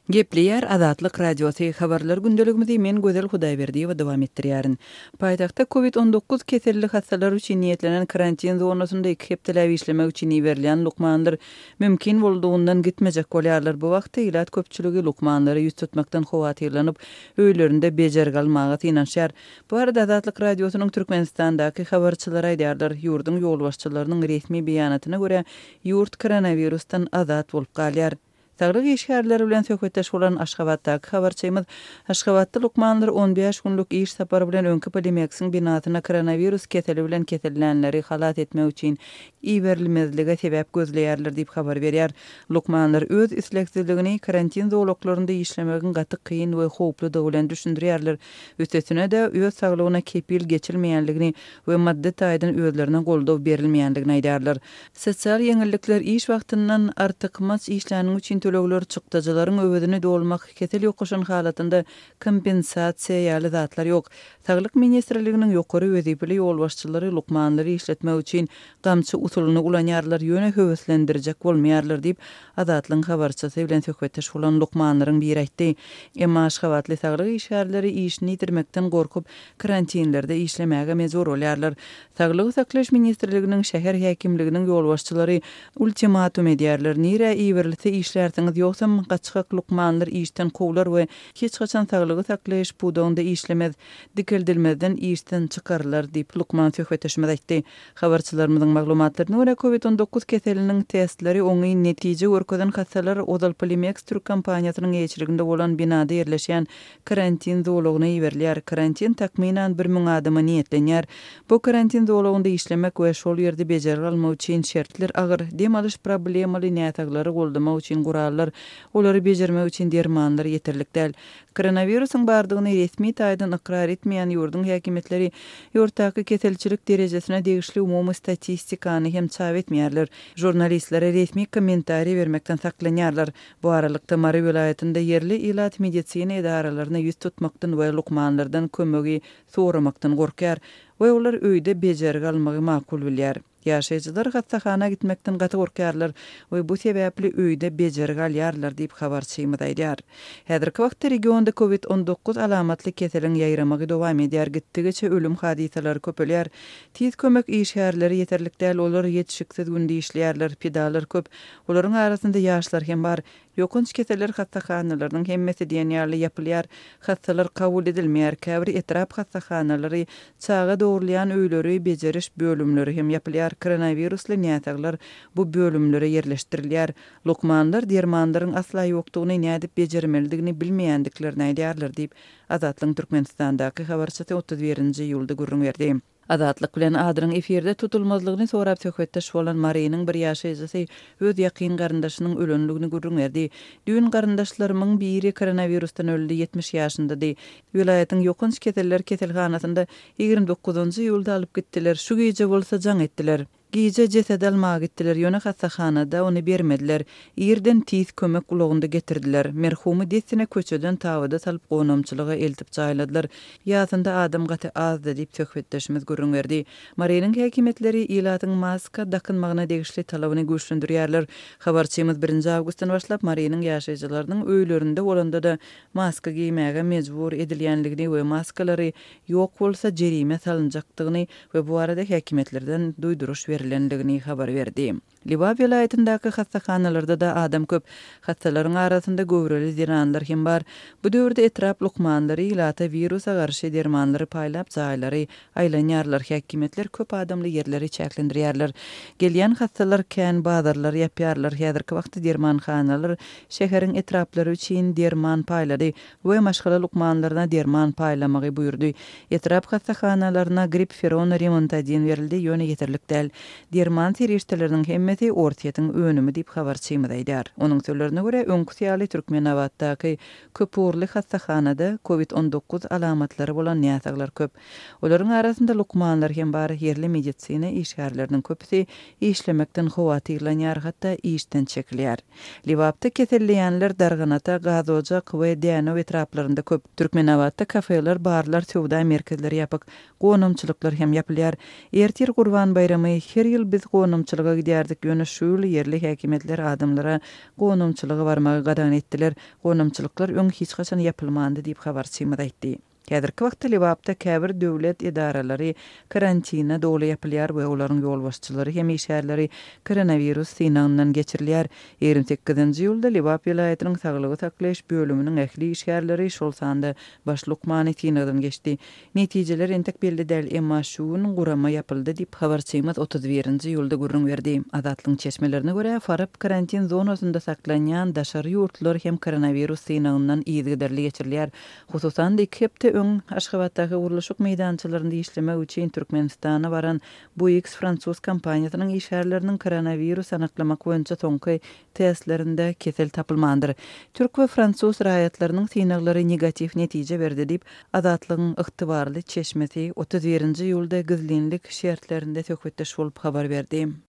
Gepleýär Azatlyk Radiosy, Habarlar gündeligimizi men Gözel Hudaýberdiýewa dowam etdirýärin. Paýtagtda Covid 19 keselli hassalar üçin niýetlenen karantin zonasynda iki hepdeläp işlemek üçin iberilýän lukmanlar mümkin boldugyndan gitmejek bolýarlar. Bu wagtda ilat köpçüligi lukmanlara ýüz tutmakdan howatyrlanyp, öýlerinde bejergi almaga synanyşýar. Bu barada Azatlyk Radiosynyň Türkmenistandaky habarçylary aýdýarlar. Ýurduň ýolbaşçylarynyň resmi beýanatyna görä, ýurt koronawirusdan azat bolup galýar. Saglyk işgärleri bilen söhbetdeş bolan Aşgabatdaky habarçymyz Aşgabatda lukmanlar 15 günlük iş sapary bilen öňki Polimeksiň binasyna koronawirus keseli bilen kesellänleri halas etmek üçin iberilmezlige sebäp gözleýärler diýip habar berýär. Lukmanlar öz islegsizligini karantin zolaklarynda işlemegiň gaty kyn we howpludygy bilen düşündirýärler. Üstesine-de, öz saglygyna kepil geçilmeýänligini we maddy taýdan özlerine goldaw berilmeýändigini aýdýarlar. Sosial ýeňillikler iş wagtyndan artykmaç işläniň üçin tölegler, çykdajylaryň öwezini dolmak, kesel ýokaşan halatynda kompensasiýa ýaly zatlar ýok. Saglyk ministrliginiň ýokary wezipeli ýolbaşçylary lukmanlary işletmek üçin gamçy usulyny ulanýarlar, ýöne höweslendirjek bolmaýarlar diýip, Azatlygyň habarçysy bilen söhbetdeş bolan lukmanlaryň biri aýtdy. Emma aşgabatly saglyk işgärleri işini ýitirmekden gorkup, karantinlerde işlemäge mejbur bolýarlar. Saglygy saklaýyş ministrliginiň, şäher häkimliginiň ýolbaşçylary ultimatum edýärler, nirä iberilse işlärsiňiz, ýogsam gaçgak lukmanlar işden kowlar we hiç haçan saglygy saklaýyş pudagynda işlemez, dikeldilmezden işden çykarylar diýip, lukman söhbetdeşimiz aýtdy. Habarçylarymyzyň maglumatlaryna görä, Covid 19 keseliniň testleri oňyn netije görkezen hassalar ozal Polimeks türk kompaniýasynyň eýeçiliginde bolan binada ýerleşýän karantin zolagyna iberilýär. Karantin takmynan 1000 adama niýetlenýär. Bu karantin zolagynda işlemek we şol ýerde bejergi almak üçin şertler agyr, dem alyş problemaly näsaglary goldamak üçin gurallar, olary bejermek üçin dermanlar ýeterlik däl. Koronawirusyň bardygyny resmi taýdan ykrar etmeýän ýurduň häkimiýetleri ýurtdaky keselçilik derejesine degişli umumy statistikany hem çap etmeýärler, žurnalistlere resmi kommentariý bermekden saklanýarlar. Bu aralykda, Mary welaýatynda ýerli ilat medisina edaralaryna ýüz tutmakdan we lukmanlardan kömegi soramakdan gorkýar we olar öýde bejergi almagy makul bilýär. Ýaşaýjylar hassahana gitmekden gaty gorkýarlar we bu sebäpli öýde bejergi alýarlar diýip, habarçymyz aýdýar. Häzirki wagtda regionda Covid 19 alamatly keseliň ýaýramagy dowam edýär, gitdigiçe ölüm hadysalary köpelýär. Tiz kömek işgärleri ýeterlik däl, olar ýetişiksiz günde işleýärler, pidalar köp, olaryň arasynda ýaşlar hem bar. Ýokanç keseller hassahanalarynyň hemmesi diýen ýaly ýapylýar, hassalar kabul edilmeýär, käbir etrap hassahanalary, çaga dogrulýan öýleri, bejeriş bölümleri hem ýapylýar, koronawirusly näsaglar bu bölümlere ýerleşdirilýär. Lukmanlar dermanlaryň asla ýokdugyny, nädip bejermelidigini bilmeýändiklerini aýdýarlar diýip, Azatlygyň Türkmenistandaky habarçysy 31-nji iýulda gürrüň berdi. Azatlyk bilen adynyň efirde tutulmazlygyny sorap söhbetdeş bolan Marynyň bir ýaşaýjysy öz ýakyn garyndaşynyň ölenligini gürrüň berdi. Düýn garyndaşlarymyň biri koronawirusdan öldi, 70 ýaşyndady. Welaýatyň ýokanç keseller keselhanasynda 29-njy iýulda alyp gitdiler, şu gije bolsa jaň etdiler. Gije jesedi almaga gitdiler, ýöne hassahanada ony bermediler. Irden tiz kömek ulagynda getirdiler. Merhumy dessine köçeden tabyda salyp gonamçylyga eltip jaýladylar. Ýasynda adam gaty azdy, diýip, söhbetdeşimiz gürrüň berdi. Marynyň häkimiýetleri ilatyň maska dakynmagyna degişli talabyny güýçlendirýärler. Habarçymyz birinji awgustdan başlap Marynyň ýaşaýjylarynyň öýlerinde bolanda-da maska geýmäge mejbur edilýänligini we maskalary ýok bolsa jerime salynjakdygyny we bu barada häkimiýetlerden duýduryş berlendigini habar berdi. Lebap welaýatyndaky hassahanalarda-da adam köp. Hassalaryň arasynda göwreli zenanlar hem bar. Bu döwürde etrap lukmanlary ilata wirusa garşy dermanlary paýlap jaýlary aýlanýarlar, häkimiýetler köp adamly ýerleri çäklendirýärler. Gelýän hassalar kän bazarlary ýapýarlar. Häzirki wagtda dermanhanalar şäheriň etraplary üçin derman paýlady. We maşgala lukmanlaryna derman paýlamagy buýurdy. Etrap hassahanalaryna gripferon, remontadin berildi, ýöne ýeterlik däl. Derman serişdeleriniň hemmesi Orsýetiň önümi diýip, habarçymyz aýdýar. Onuň sözlerine görä, öňküsi ýaly Türkmenabatdaky köpugurly hassahanada Covid 19 alamatlary bolan näsaglar köp. Olaryň arasynda lukmanlar hem bar, ýerli medisina işgärleriniň köpüsi işlemekden howatyrlanýar, hatda işden çekilýär. Lebapda keselleýänler Darganata, Gazojak we Dänew etraplarynda köp. Türkmenabatda kafeler, barlar, söwda merkezleri ýapyk. Gonamçylyklar hem ýapylýar. Ertir Gurban baýramy. Her ýyl biz gonamçylyga gidýärdik. Ýöne şu ýyl ýerli häkimiýetler adamlara gonamçylyga barmagy gadagan etdiler. Gonamçylyklar öň hiç haçan ýapylmandy diýip, habarçymyz aýtdy. Häzirki wagtda Lebapda käbir döwlet edaralary karantine doly ýapylýar we olaryň ýolbaşçylary hem işgärleri koronawirus synagyndan geçirilýär. 28-nji iýulda Lebap welaýatynyň saglygy saklaýyş bölüminiň ähli işgärleri, şol sanda baş lukmany synagdan geçdi. Netijeler entek belli däl, emma şu gün gurama ýapyldy diýip, habarçymyz 31-nji iýulda gürrüň berdi. Azatlygyň çeşmelerine görä, Farap karantin zonasynda saklanýan daşary ýurtlular hem koronawirus synagyndan yzygiderli geçirilýär. Hususan-da, iki hepde öň Aşgabatdaky gurluşyk meýdançalarynda işlemek üçin Türkmenistana baran Bouygues fransuz kompaniýasynyň işgärleriniň koronawirus anyklamak boýunça soňky testlerinde kesel tapylmandyr. Türk we fransuz raýatlarynyň synaglary negatiw netije berdi diýip, Azatlygyň ygtybarly çeşmesi 31-nji iýulda gizlinlik şertlerinde söhbetdeş bolup habar berdi.